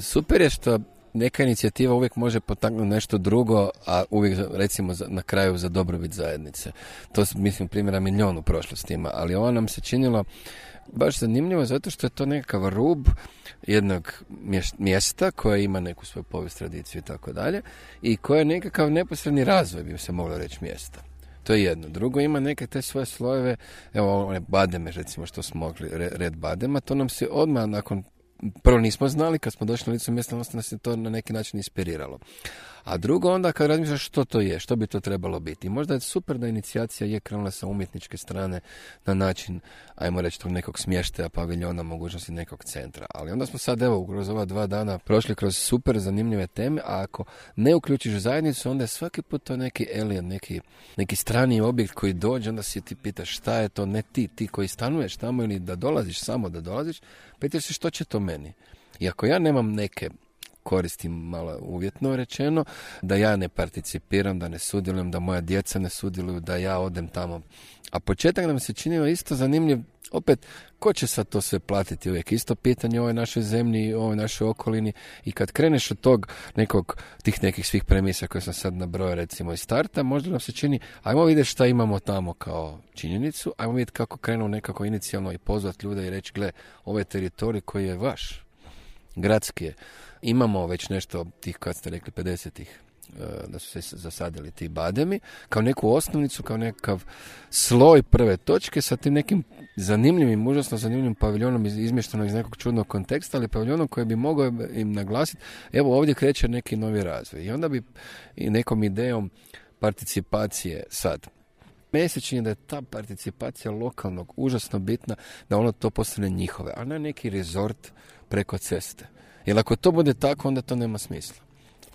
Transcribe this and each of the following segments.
super je što neka inicijativa uvijek može potaknuti nešto drugo, a uvijek, recimo, na kraju za dobrobit zajednice. To su, mislim, primjera milijun u prošlosti ima, ali ovo nam se činilo baš zanimljivo zato što je to nekakav rub jednog mjesta koje ima neku svoju povijest, tradiciju i tako dalje i koje je nekakav neposredni razvoj, bi se moglo reći, mjesta. To je jedno. Drugo, ima neke te svoje slojeve, evo one bademe, recimo, što smo mogli, red badema, to nam se odmah nakon, prvo nismo znali, kad smo došli na licu mjesta, nas je to na neki način inspiriralo. A drugo, onda kad razmišljaš što to je, što bi to trebalo biti. I možda je super da inicijacija je krenula sa umjetničke strane na način, ajmo reći, tog nekog smještaja, paviljona, mogućnosti nekog centra. Ali onda smo sad, evo, kroz ova 2 dana prošli kroz super zanimljive teme, a ako ne uključiš zajednicu, onda je svaki put to neki alien, neki strani objekt koji dođe, onda si ti pitaš šta je to, ne ti koji stanuješ tamo ili da dolaziš, samo da dolaziš, pitaš se što će to meni. I ako ja nemam neke koristim malo uvjetno rečeno, da ja ne participiram, da ne sudjelujem, da moja djeca ne sudjeluju, da ja odem tamo. A početak nam se činio isto zanimljiv, opet, ko će sad to sve platiti? Uvijek isto pitanje o ovoj našoj zemlji, o ovoj našoj okolini i kad kreneš od tih nekih svih premisa koje sam sad nabrojao recimo iz starta, možda nam se čini, ajmo vidjeti šta imamo tamo kao činjenicu, ajmo vidjeti kako krenu nekako inicijalno i pozvati ljude i reći, gle, ovo je teritorij koji je vaš, gradski je. Imamo već nešto tih, kad ste rekli, 50-ih, da su se zasadili ti bademi, kao neku osnovnicu, kao nekakav sloj prve točke sa tim nekim zanimljivim, užasno zanimljivim paviljonom izmještenom iz nekog čudnog konteksta, ali paviljonom koji bi mogao im naglasiti, evo ovdje kreće neki novi razvoj. I onda bi i nekom idejom participacije sad. Meni se čini da je ta participacija lokalnog užasno bitna, da ono to postane njihove, a ne neki rezort preko ceste. Jer ako to bude tako, onda to nema smisla.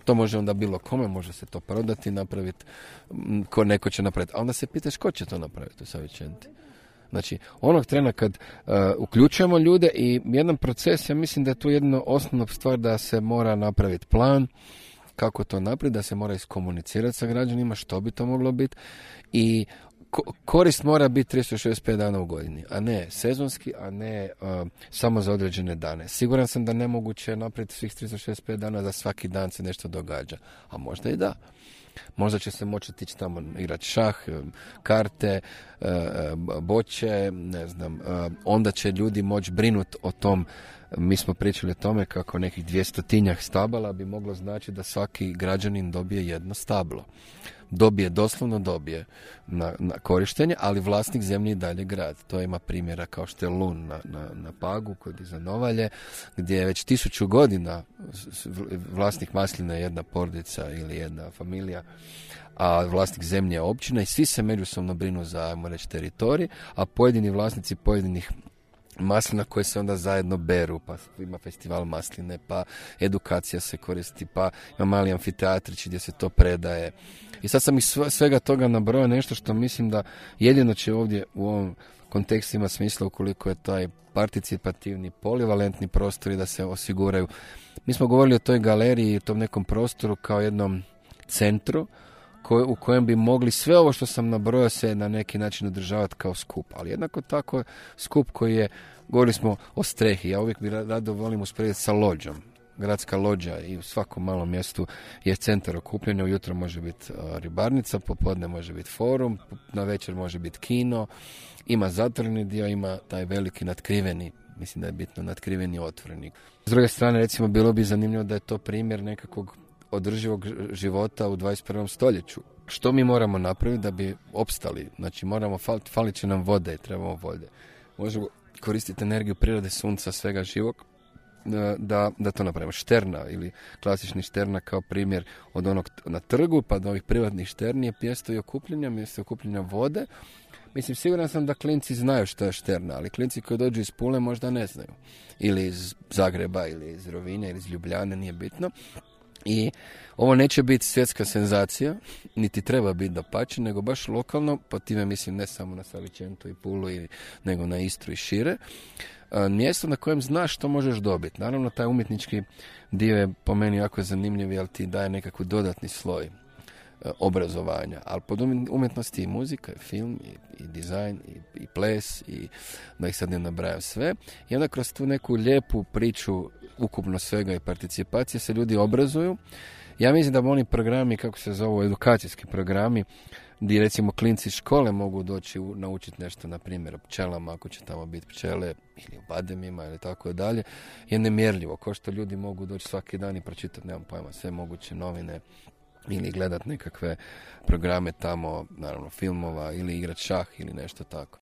To može onda bilo kome, može se to prodati, napraviti, ko neko će napraviti. A onda se pitaš ko će to napraviti u Savičenti. Znači, onog trena kad uključujemo ljude i jedan proces, ja mislim da je tu jedna osnovna stvar da se mora napraviti plan, kako to napraviti, da se mora iskomunicirati sa građanima, što bi to moglo biti i korist mora biti 365 dana u godini, a ne sezonski, a ne samo za određene dane. Siguran sam da nemoguće je napraviti svih 365 dana da svaki dan se nešto događa, a možda i da. Možda će se moći tići tamo igrati šah, karte, boće, ne znam. Onda će ljudi moći brinuti o tom. Mi smo pričali o tome kako nekih 200 stabala bi moglo znači da svaki građanin dobije jedno stablo. Doslovno dobije na korištenje, ali vlasnik zemlje i dalje grad. To ima primjera kao što je Lun na Pagu, kod iza Novalje, gdje je već 1000 godina vlasnik masline jedna porodica ili jedna familija, a vlasnik zemlje je općina i svi se međusobno brinu za, ajmo reći, teritorij, a pojedini vlasnici pojedinih maslina koje se onda zajedno beru, pa ima festival masline, pa edukacija se koristi, pa ima mali amfiteatrić gdje se to predaje. I sad sam iz svega toga nabrojao nešto što mislim da jedino će ovdje u ovom kontekstu ima smisla ukoliko je taj participativni, polivalentni prostor i da se osiguraju. Mi smo govorili o toj galeriji i tom nekom prostoru kao jednom centru u kojem bi mogli sve ovo što sam nabrojao se na neki način održavati kao skup. Ali jednako tako skup koji je, govorili smo o strehi, ja uvijek bi rado volim usporediti sa lođom. Gradska lođa i u svakom malom mjestu je centar okupljanja, ujutro može biti ribarnica, popodne može biti forum, na večer može biti kino, ima zatvoreni dio, ima taj veliki natkriveni, mislim da je bitno natkriveni otvoreni. S druge strane, recimo, bilo bi zanimljivo da je to primjer nekakvog održivog života u 21. stoljeću. Što mi moramo napraviti da bi opstali? Znači, falit će nam vode, trebamo vode. Možemo koristiti energiju prirode, sunca, svega živog, da to napravimo. Šterna ili klasični šterna kao primjer od onog na trgu pa do ovih privatnih šterni je mjesto okupljanja vode. Mislim, siguran sam da klinci znaju što je šterna, ali klinci koji dođu iz Pule možda ne znaju. Ili iz Zagreba, ili iz Rovinja, ili iz Ljubljane, nije bitno. I ovo neće biti svjetska senzacija, niti treba biti dapače, nego baš lokalno, po time mislim ne samo na Savičentu i Pulu, nego na Istru i šire. Mjesto na kojem znaš što možeš dobiti. Naravno, taj umjetnički dio je po meni jako zanimljiv, jer ti daje nekakvu dodatni sloj obrazovanja. Ali pod umjetnosti i muzika, i film, i dizajn, i ples, i da ih sad ne nabrajam sve. I onda kroz tu neku lijepu priču ukupno svega i participacije se ljudi obrazuju. Ja mislim da oni programi, kako se zovu, edukacijski programi, gdje recimo klinci iz škole mogu doći naučiti nešto, na primjer o pčelama, ako će tamo biti pčele, ili o bademima, ili tako dalje, je nemjerljivo. Ko što ljudi mogu doći svaki dan i pročitati, nemam pojma, sve moguće novine, ili gledat nekakve programe tamo, naravno filmova, ili igrat šah ili nešto tako.